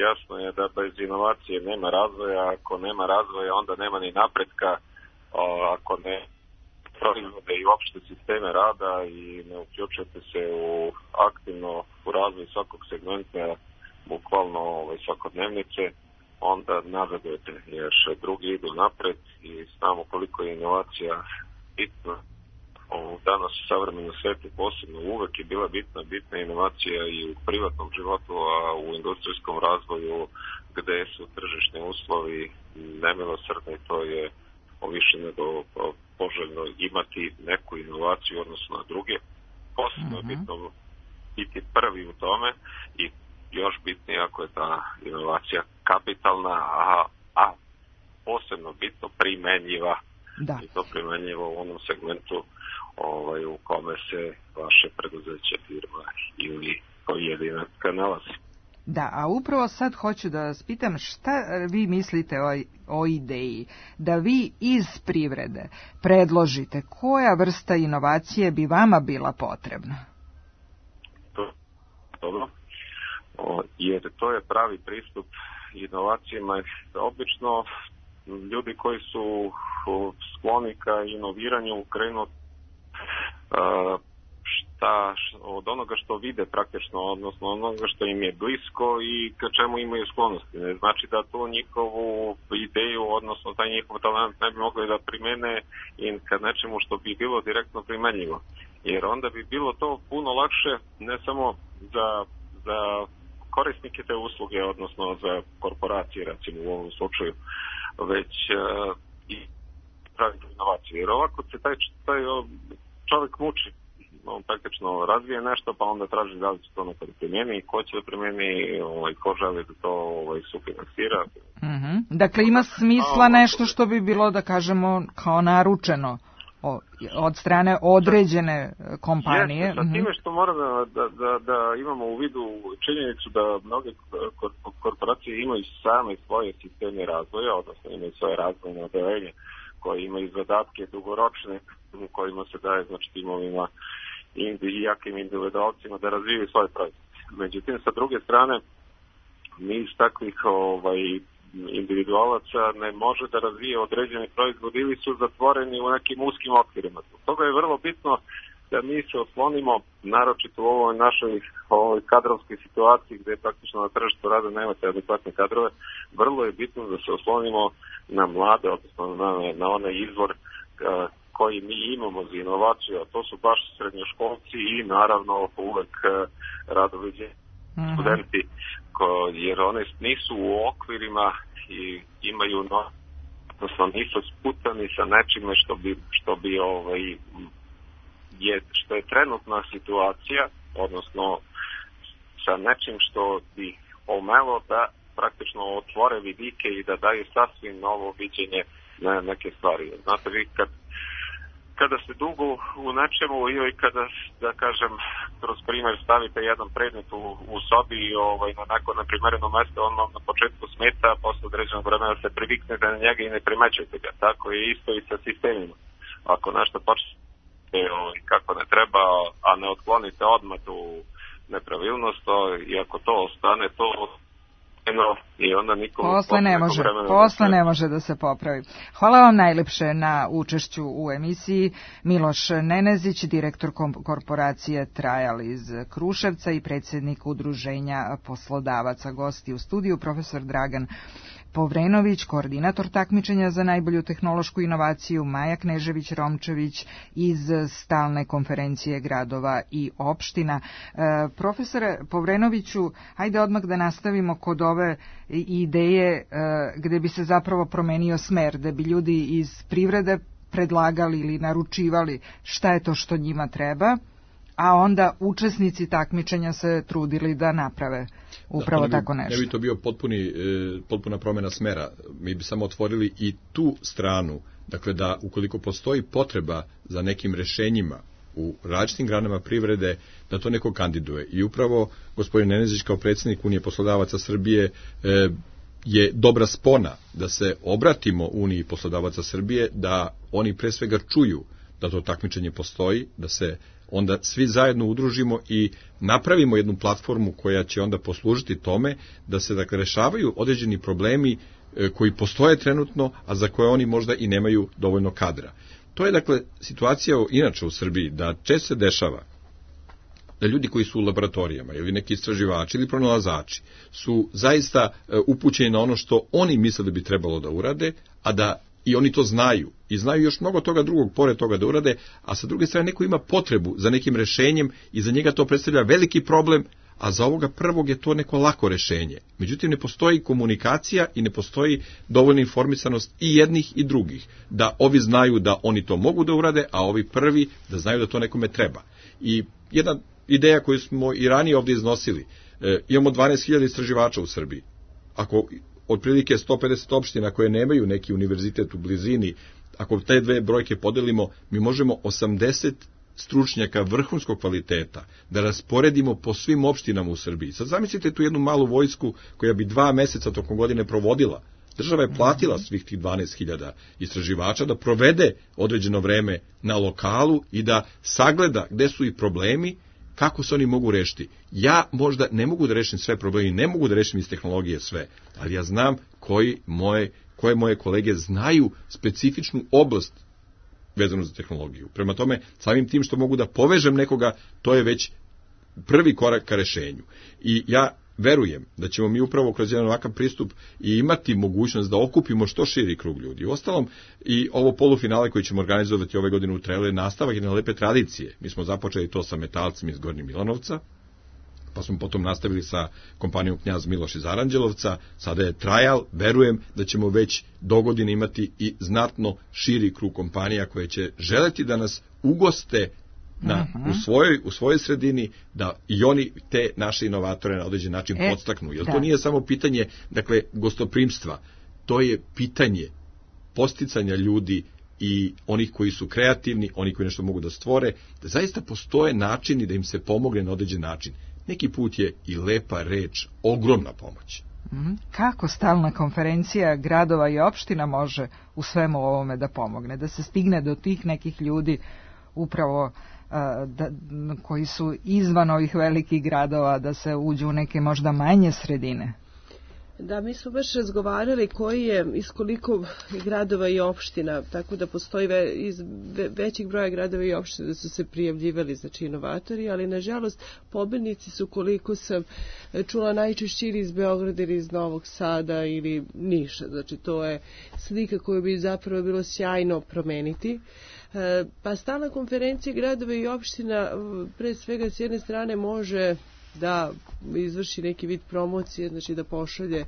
[SPEAKER 23] Jasno je da bez inovacije nema razvoja, ako nema razvoja onda nema ni napretka, ako ne proizvode i opšte sisteme rada i ne uključujete se aktivno u razvoj svakog segmenta, bukvalno svakodnevnice, onda nazadujete, jer drugi idu napred i znamo koliko je inovacija bitna. Danas u savremenom svijetu posebno uvek je bila bitna inovacija i u privatnom životu, a u industrijskom razvoju gde su tržišni uslovi nemilosrdni, to je više nego poželjno imati neku inovaciju odnosno na druge. Posebno je bitno biti prvi u tome i još bitnije ako je ta inovacija kapitalna, a posebno bitno primenjiva. Da. I to primenjiva u onom segmentu u kome se vaše preduzeće, firma ili pojedinačka nalazi.
[SPEAKER 2] Da, a upravo sad hoću da vas pitam šta vi mislite o ideji da vi iz privrede predložite koja vrsta inovacije bi vama bila potrebna?
[SPEAKER 23] Dobro, jer to je pravi pristup inovacijama. Obično ljudi koji su skloni ka inoviranju krenu od onoga što vide praktično, odnosno onoga što im je blisko i ka čemu imaju sklonosti. Ne znači da tu njihovu ideju, odnosno taj njihov talent ne bi mogli da primene i ka nečemu što bi bilo direktno primenjivo. Jer onda bi bilo to puno lakše ne samo za korisnike te usluge, odnosno za korporacije, recimo u ovom slučaju, već i praviti inovacije. Jer ovako se taj čovjek muči. On praktično razvije nešto, pa onda traži da li će to nekada primjeni, ko će da primjeni, ko želi da to sufinansira.
[SPEAKER 2] Dakle, ima smisla nešto što bi bilo, da kažemo, kao naručeno od strane određene kompanije.
[SPEAKER 23] Jeste, sa time što mora da imamo u vidu činjenicu da mnoge korporacije imaju same svoje sisteme razvoja, odnosno imaju svoje razvojne odelenje koji imaju zadatke dugoročne, u kojima se daje znači timovima i jakim individualcima da razvijaju svoje proizvode. Međutim, sa druge strane, niz takvih individualaca ne može da razvije određeni proizvod ili su zatvoreni u nekim uskim okvirima. Toga je vrlo bitno da mi se oslonimo, naročito u ovoj našoj kadrovskoj situaciji gde praktično na tržištu rada nemate adekvatne kadrove, vrlo je bitno da se oslonimo na mlade, odnosno na onaj izvor koji mi imamo za inovaciju, a to su baš srednjoškolci i naravno uvek radoviđe studenti, jer one nisu u okvirima i imaju odnosno nisu sputani sa nečime što je trenutna situacija, odnosno sa nečim što bi omelo da praktično otvore vidike i da daju sasvim novo viđenje na neke stvari. Znate, vi kada ste dugo u nečemu i kada, da kažem, kroz primjer stavite jedan predmet u sobi i na neko neprimereno mesto, on vam na početku smeta, a posle određenog vremena se priviknete na njega i ne primećujete ga. Tako je isto i sa sistemima. Ako nešto počne kako ne treba, a ne otklonite odmah tu nepravilnost, i ako to ostane, to i onda nikom
[SPEAKER 2] posle ne može da se popravi. Hvala vam najlepše na učešću u emisiji. Miloš Nenezić, direktor korporacije Trajal iz Kruševca i predsjednik Udruženja poslodavaca. Gosti u studiju profesor Dragan Povrenović, koordinator takmičenja za najbolju tehnološku inovaciju, Maja Knežević-Romčević iz Stalne konferencije gradova i opština. Profesore Povrenoviću, hajde odmah da nastavimo kod ove ideje gde bi se zapravo promenio smer, da bi ljudi iz privrede predlagali ili naručivali šta je to što njima treba, a onda učesnici takmičenja se trudili da naprave upravo tako nešto.
[SPEAKER 3] Ne bi to bio potpuna promjena smera. Mi bi samo otvorili i tu stranu, dakle da ukoliko postoji potreba za nekim rešenjima u različitim granama privrede, da to neko kandiduje. I upravo gospodin Nenezić kao predsjednik Unije poslodavaca Srbije je dobra spona da se obratimo Uniji poslodavaca Srbije, da oni pre svega čuju da to takmičenje postoji, da se onda svi zajedno udružimo i napravimo jednu platformu koja će onda poslužiti tome da se dakle rešavaju određeni problemi koji postoje trenutno, a za koje oni možda i nemaju dovoljno kadra. To je dakle situacija inače u Srbiji, da često se dešava da ljudi koji su u laboratorijama ili neki istraživači ili pronalazači su zaista upućeni na ono što oni misle da bi trebalo da urade, a da i oni to znaju i znaju još mnogo toga drugog pored toga da urade, a sa druge strane neko ima potrebu za nekim rešenjem i za njega to predstavlja veliki problem, a za ovoga prvog je to neko lako rešenje. Međutim, ne postoji komunikacija i ne postoji dovoljna informisanost i jednih i drugih, da ovi znaju da oni to mogu da urade, a ovi prvi da znaju da to nekome treba. I jedna ideja koju smo i ranije ovdje iznosili, imamo 12.000 istraživača u Srbiji. Ako otprilike 150 opština koje nemaju neki univerzitet u blizini, ako te dve brojke podelimo, mi možemo 80 stručnjaka vrhunskog kvaliteta da rasporedimo po svim opštinama u Srbiji. Sad zamislite tu jednu malu vojsku koja bi 2 meseca tokom godine provodila. Država je platila svih tih 12.000 istraživača da provede određeno vreme na lokalu i da sagleda gde su i problemi, kako se oni mogu rešiti. Ja možda ne mogu da rešim sve probleme, ne mogu da rešim iz tehnologije sve, ali ja znam koje moje kolege znaju specifičnu oblast vezano za tehnologiju. Prema tome, samim tim što mogu da povežem nekoga, to je već prvi korak ka rešenju. I ja verujem da ćemo mi upravo kroz jedan ovakav pristup i imati mogućnost da okupimo što širi krug ljudi. Uostalom, i ovo polufinale koji ćemo organizovati ove godine u Trelu je nastavak jedne lepe tradicije. Mi smo započeli to sa metalcima iz Gornjeg Milanovca, pa smo potom nastavili sa kompanijom Knjaz Miloš iz Aranđelovca, sada je Trajal, verujem da ćemo već dogodine imati i znatno širi krug kompanija koje će želeti da nas ugoste u svojoj sredini, da i oni te naše inovatore na određen način podstaknu. Jer to nije samo pitanje, dakle, gostoprimstva, to je pitanje posticanja ljudi i onih koji su kreativni, oni koji nešto mogu da stvore, da zaista postoje načini da im se pomogne na određen način. Neki put je i lepa reč ogromna pomoć.
[SPEAKER 2] Kako stalna konferencija gradova i opština može u svemu ovome da pomogne, da se stigne do tih nekih ljudi upravo koji su izvan ovih velikih gradova, da se uđu u neke možda manje sredine?
[SPEAKER 4] Da, mi smo baš razgovarali koji je iz koliko gradova i opština, tako da postoji iz većih broja gradova i opština da su se prijavljivali, znači inovatori, ali nažalost pobednici su, koliko sam čula, najčešće ili iz Beograda ili iz Novog Sada ili Niša, znači to je slika koju bi zapravo bilo sjajno promeniti. Pa stalna konferencija gradova i opština pre svega s jedne strane može da izvrši neki vid promocije, znači da pošalje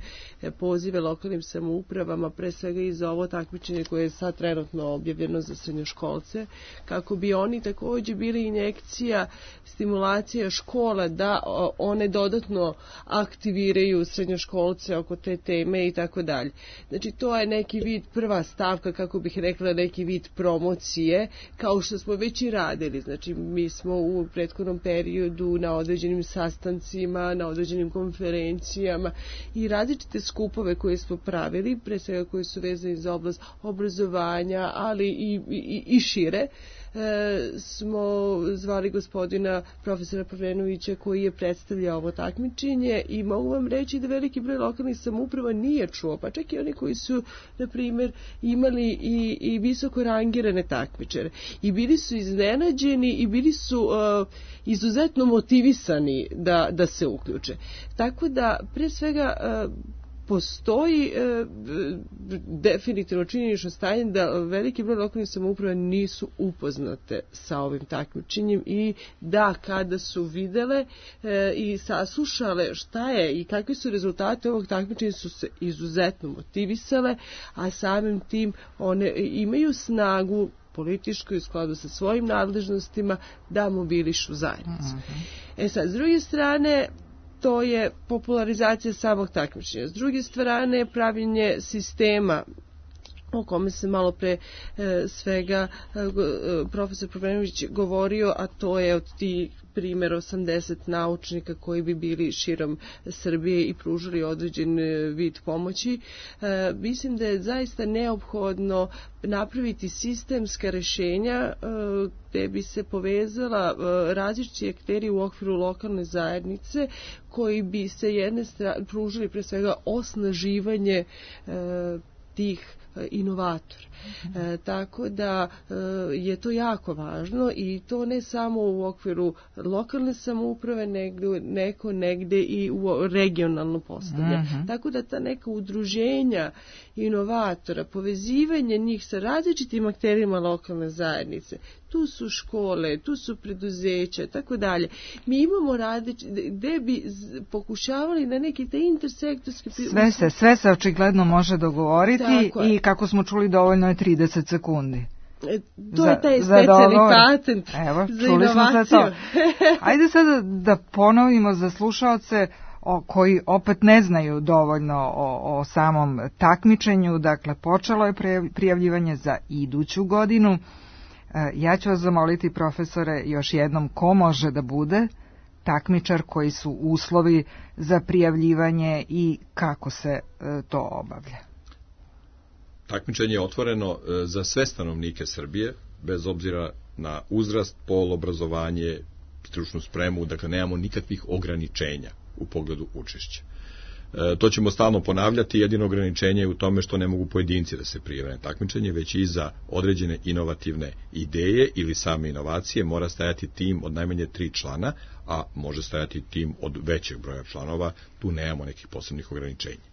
[SPEAKER 4] pozive lokalnim samoupravama, pre svega i za ovo takmičenje koje je sad trenutno objavljeno za srednjoškolce, kako bi oni takođe bili injekcija, stimulacija škola da one dodatno aktiviraju srednjoškolce oko te teme i tako dalje. Znači to je neki vid, prva stavka, kako bih rekla, neki vid promocije, kao što smo već i radili. Znači mi smo u prethodnom periodu na određenim sastancima, na određenim konferencijama i različite skupove koje smo pravili, pre svega koji su vezani za oblast obrazovanja, ali i šire, smo zvali gospodina profesora Pavlenovića koji je predstavljao ovo takmičenje i mogu vam reći da veliki broj lokalnih samouprava nije čuo, pa čak i oni koji su, na primjer, imali i visoko rangirane takmičare. I bili su iznenađeni i bili su izuzetno motivisani da se uključe. Tako da, pre svega, postoji definitivno činjenično stanje da veliki broj lokalnih samouprava nisu upoznate sa ovim takmičenjem i da kada su videle i saslušale šta je i kakvi su rezultati ovog takmičenja, su se izuzetno motivisale, a samim tim one imaju snagu političku u skladu sa svojim nadležnostima da mobilišu zajednicu. Sad, s druge strane, to je popularizacija samog takmičenja. S druge strane, pravljenje sistema o kome se malo pre svega profesor Pavlenović govorio, a to je od tih primjer 80 naučnika koji bi bili širom Srbije i pružili određen vid pomoći. Mislim da je zaista neophodno napraviti sistemska rešenja gde bi se povezala različiti akteri u okviru lokalne zajednice koji bi se jedne strane pružili pre svega osnaživanje tih inovator. Tako da je to jako važno i to ne samo u okviru lokalne samouprave, nego negde i u regionalno postavlja. Tako da ta neka udruženja inovatora, povezivanje njih sa različitim akterima lokalne zajednice, tu su škole, tu su preduzeća, tako dalje. Mi imamo gde bi pokušavali na neki te intersektorski...
[SPEAKER 2] Sve se očigledno može dogovoriti i kako smo čuli dovoljno je 30 sekundi.
[SPEAKER 4] To je taj specijalni patent za inovaciju.
[SPEAKER 2] Ajde sada da ponovimo za slušaoce koji opet ne znaju dovoljno o samom takmičenju. Dakle, počelo je prijavljivanje za iduću godinu. Ja ću vas zamoliti, profesore, još jednom, ko može da bude takmičar, koji su uslovi za prijavljivanje i kako se to obavlja?
[SPEAKER 3] Takmičenje je otvoreno za sve stanovnike Srbije, bez obzira na uzrast, pol, obrazovanje, stručnu spremu, dakle nemamo nikakvih ograničenja u pogledu učešća. To ćemo stalno ponavljati, jedino ograničenje je u tome što ne mogu pojedinci da se prijave na takmičenje, već i za određene inovativne ideje ili same inovacije mora stajati tim od najmanje 3 člana, a može stajati tim od većeg broja članova, tu nemamo nekih posebnih ograničenja.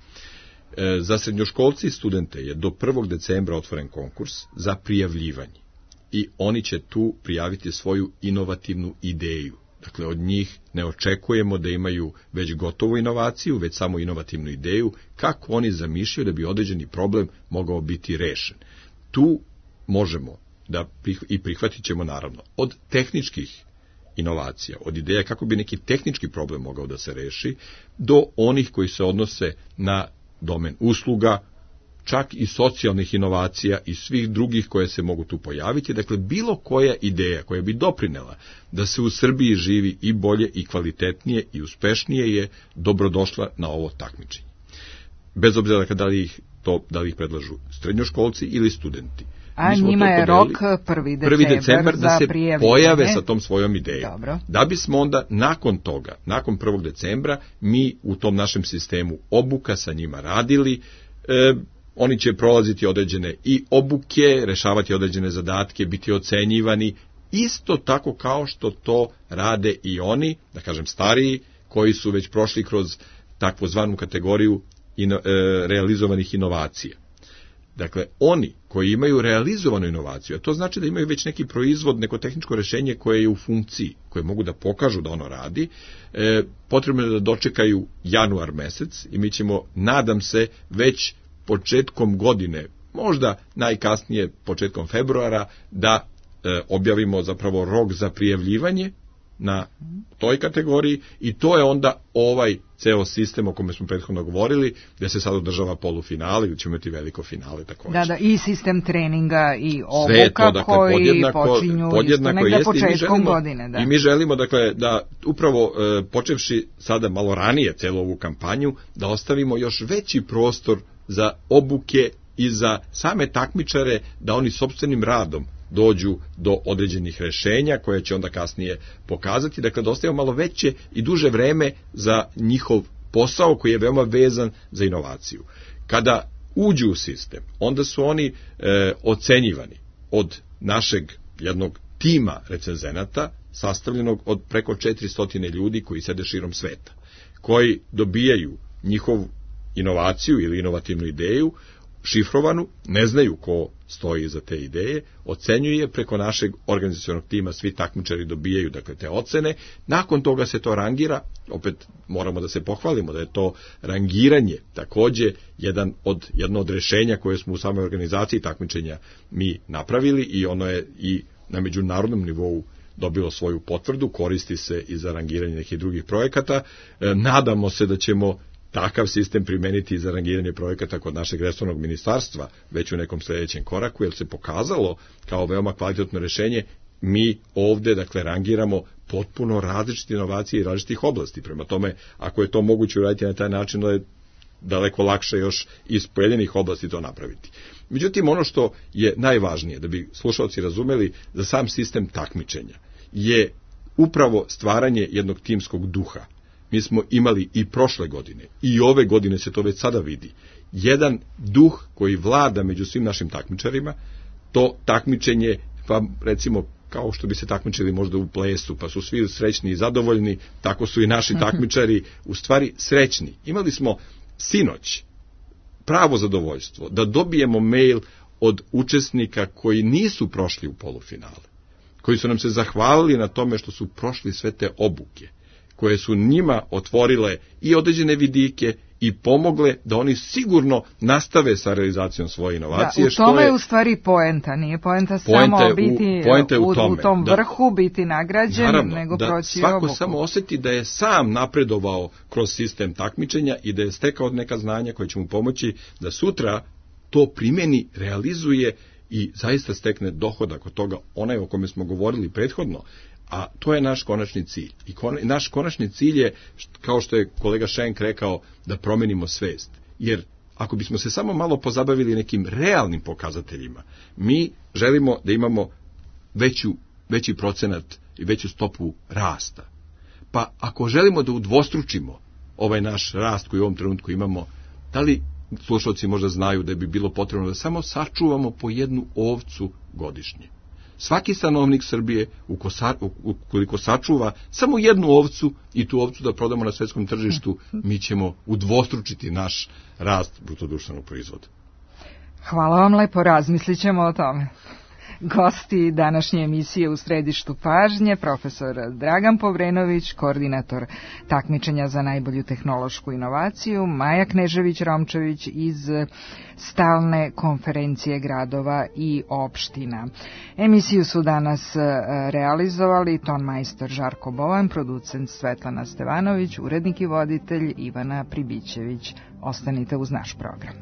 [SPEAKER 3] Za srednjoškolci i studente je do 1. decembra otvoren konkurs za prijavljivanje i oni će tu prijaviti svoju inovativnu ideju. Dakle, od njih ne očekujemo da imaju već gotovu inovaciju, već samo inovativnu ideju, kako oni zamišljaju da bi određeni problem mogao biti rešen. Tu možemo da i prihvatit ćemo naravno od tehničkih inovacija, od ideja kako bi neki tehnički problem mogao da se reši, do onih koji se odnose na domen usluga, čak i socijalnih inovacija i svih drugih koje se mogu tu pojaviti. Dakle, bilo koja ideja koja bi doprinela da se u Srbiji živi i bolje i kvalitetnije i uspešnije je dobrodošla na ovo takmičenje. bez obzira dakle, da li ih predlažu srednjoškolci ili studenti.
[SPEAKER 2] A njima je rok 1. decembar
[SPEAKER 3] da se pojave sa tom svojom idejom.
[SPEAKER 2] Dobro.
[SPEAKER 3] Da bismo onda nakon toga, nakon 1. decembra, mi u tom našem sistemu obuka sa njima radili, oni će prolaziti određene i obuke, rešavati određene zadatke, biti ocenjivani, isto tako kao što to rade i oni, da kažem stariji, koji su već prošli kroz takvozvanu kategoriju realizovanih inovacija. Dakle, oni koji imaju realizovanu inovaciju, a to znači da imaju već neki proizvod, neko tehničko rešenje koje je u funkciji, koje mogu da pokažu da ono radi, potrebno je da dočekaju januar mesec i mi ćemo, nadam se, već početkom godine, možda najkasnije početkom februara, da objavimo zapravo rok za prijavljivanje na toj kategoriji i to je onda ovaj ceo sistem o kome smo prethodno govorili, gde se sad održava polufinale ili ćemo imati veliko finale također.
[SPEAKER 2] Da, i sistem treninga i obuka dakle, koji počinju isto negda početkom godine. Da.
[SPEAKER 3] I mi želimo dakle, da upravo počevši sada malo ranije celu ovu kampanju, da ostavimo još veći prostor za obuke i za same takmičare, da oni sopstvenim radom dođu do određenih rešenja koje će onda kasnije pokazati. Dakle, da ostavimo malo veće i duže vreme za njihov posao koji je veoma vezan za inovaciju. Kada uđu u sistem, onda su oni ocenjivani od našeg jednog tima recenzenata, sastavljenog od preko 400 ljudi koji sede širom sveta, koji dobijaju njihovu inovaciju ili inovativnu ideju, šifrovanu, ne znaju ko stoji iza te ideje, ocenjuje preko našeg organizacionog tima, svi takmičari dobijaju dakle te ocene, nakon toga se to rangira, opet moramo da se pohvalimo da je to rangiranje takođe jedno od rešenja koje smo u samoj organizaciji takmičenja mi napravili i ono je i na međunarodnom nivou dobilo svoju potvrdu, koristi se i za rangiranje nekih drugih projekata. Nadamo se da ćemo takav sistem primeniti za rangiranje projekata kod našeg resornog ministarstva već u nekom sljedećem koraku, jer se pokazalo kao veoma kvalitetno rešenje. Mi ovde, dakle, rangiramo potpuno različite inovacije i različitih oblasti. Prema tome, ako je to moguće uraditi na taj način, da je daleko lakše još iz pojedinih oblasti to napraviti. Međutim, ono što je najvažnije, da bi slušalci razumeli, za sam sistem takmičenja, je upravo stvaranje jednog timskog duha. Mi smo imali i prošle godine, i ove godine se to već sada vidi, jedan duh koji vlada među svim našim takmičarima, to takmičenje, pa recimo kao što bi se takmičili možda u plesu, pa su svi srećni i zadovoljni, tako su i naši takmičari u stvari srećni. Imali smo sinoć pravo zadovoljstvo da dobijemo mail od učesnika koji nisu prošli u polufinale, koji su nam se zahvalili na tome što su prošli sve te obuke, koje su njima otvorile i određene vidike i pomogle da oni sigurno nastave sa realizacijom svoje inovacije.
[SPEAKER 2] Da, u tome je u stvari poenta, nije poenta samo biti u tom vrhu, biti nagrađen, naravno, nego proći
[SPEAKER 3] svako
[SPEAKER 2] obuku.
[SPEAKER 3] Samo osjeti da je sam napredovao kroz sistem takmičenja i da je stekao neka znanja koje će mu pomoći da sutra to primjeni, realizuje i zaista stekne dohodak od toga, onaj o kome smo govorili prethodno. A to je naš konačni cilj. I naš konačni cilj je, kao što je kolega Šenk rekao, da promenimo svest. Jer ako bismo se samo malo pozabavili nekim realnim pokazateljima, mi želimo da imamo veći procenat i veću stopu rasta. Pa ako želimo da udvostručimo ovaj naš rast koji u ovom trenutku imamo, da li slušalci možda znaju da bi bilo potrebno da samo sačuvamo po jednu ovcu godišnje? Svaki stanovnik Srbije, ukoliko sačuva samo jednu ovcu i tu ovcu da prodamo na svetskom tržištu, mi ćemo udvostručiti naš rast brutodruštvenog proizvoda.
[SPEAKER 2] Hvala vam lepo, razmislit ćemo o tome. Gosti današnje emisije U središtu pažnje, profesor Dragan Povrenović, koordinator takmičenja za najbolju tehnološku inovaciju, Maja Knežević-Romčević iz Stalne konferencije gradova i opština. Emisiju su danas realizovali tonmajstor Žarko Bovan, producent Svetlana Stevanović, urednik i voditelj Ivana Pribićević. Ostanite uz naš program.